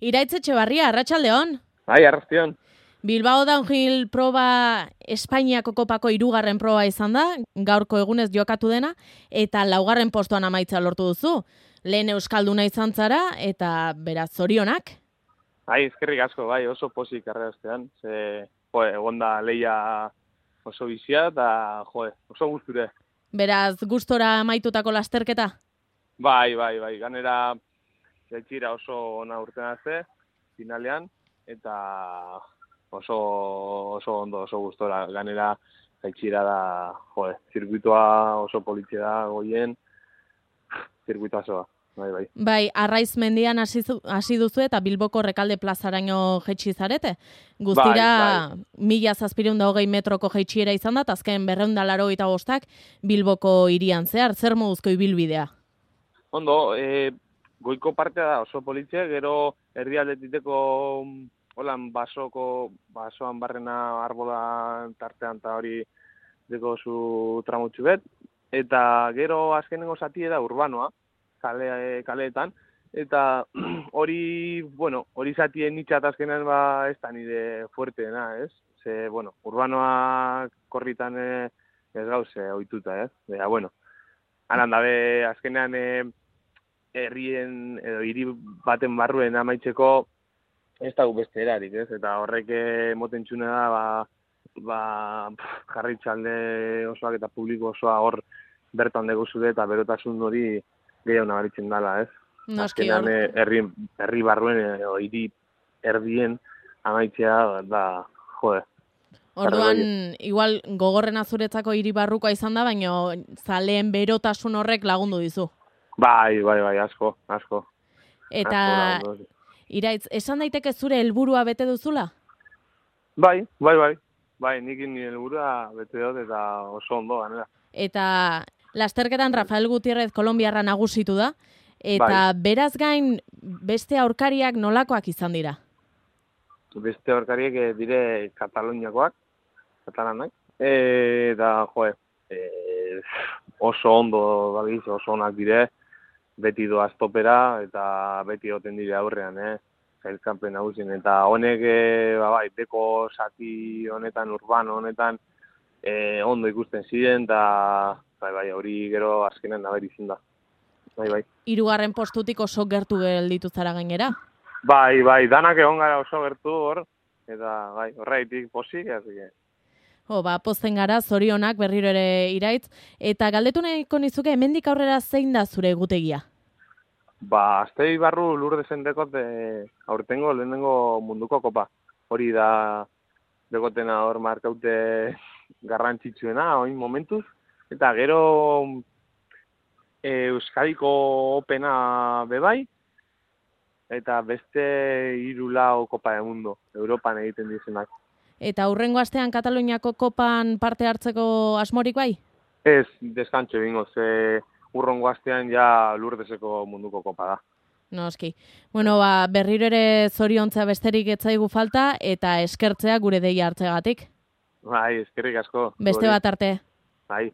Iraitz Etxebarria, arratsaldeon. Bai, arrastion. Bilbao Downhill proba Espainiako kopako 3. proba izan da, gaurko egunez jokatu dena, eta 4. postuan amaitza lortu duzu. Lehen euskalduna izan zara, eta beraz zorionak. Bai, eskerrik asko, bai, oso pozik arrastean. Egon da leia oso bizia, eta oso gusture. Beraz, gustora amaitutako lasterketa? Bai, ganera jaitxira oso ona urten azte, finalean, eta oso ondo, oso gustora. Ganera jaitxira da, zirkuitoa oso politxe da goien, zirkuitoa osoa. Bai. Bai, Arraiz mendian hasi duzu eta Bilboko Rekalde plazaraino jaitsi zarete. Guztira, 1720 metroko jaitsiera izan da, azken 285 Bilboko hirian zehar. Zer moduzko ibilbidea? Ondo, goiko partea da oso politxe, gero erdialdetiteko holan basoan barrena arbola tartean eta hori deko zu tramutxu bet. Eta gero azkenengo zatie da urbanoa, kaleetan, eta hori zatien nitxat azkenean ez da nire fuerteena, ez? Ze, urbanoa korritan ez gauze ohituta, ez? Haran dabe azkenean herrien edo hiri baten barruen amaitzeko ez dago beste erarik, ez? Eta horrek moten txuna da, jarritxalde osoak eta publiko osoa hor bertan deguzude eta berotasun hori gehiago nabaritzen dela, ez? Azkenean herri barruen edo hiri erdien amaitzea da, Orduan, igual gogorrena zuretzako hiri barrukoa izan da, baina zaleen berotasun horrek lagundu dizu. Bai, asko. Eta, Iraitz, esan daiteke zure helburua bete duzula? Bai, nik nire helburua bete dut eta oso ondo, ganera. Eta lasterketan Rafael Gutierrez kolonbiarra nagusitu da, eta beraz gain beste aurkariak nolakoak izan dira? Beste aurkariak dire Kataluniakoak, katalanak, eta oso ondo dabiz, oso onak dire, beti doaz topera eta beti oten dire aurrean, zailkampen nagusien. Eta honek, deko zati honetan, urbano honetan, ondo ikusten ziren, eta hori gero azkenean naberi izin da. 3. postutik oso gertu gelditu zara gainera? Bai, danak egon gara oso gertu hor, eta horreitik posik, Pozten gara, zorionak berriro ere Iraitz, eta galdetu nahiko nizuke hemendik aurrera zein da zure egutegia? Aztei barru Lurdezen dekot aurtengo lehenengo munduko kopa. Hori da dekotena hor markaute garrantzitsuena, oin momentuz. Eta gero Euskadiko opena bebai, eta beste 3 kopa de mundo, Europan egiten dizenak. Eta hurrengo astean Kataluniako kopan parte hartzeko asmorik bai? Ez, deskantxo egingo, ze hurrengo astean ja Lurdeseko munduko kopa da. Noski. Berriro ere zoriontza besterik etzaigu falta, eta eskertzea gure deia hartzegatik. Bai, eskerrik asko. Beste bat arte. Bai.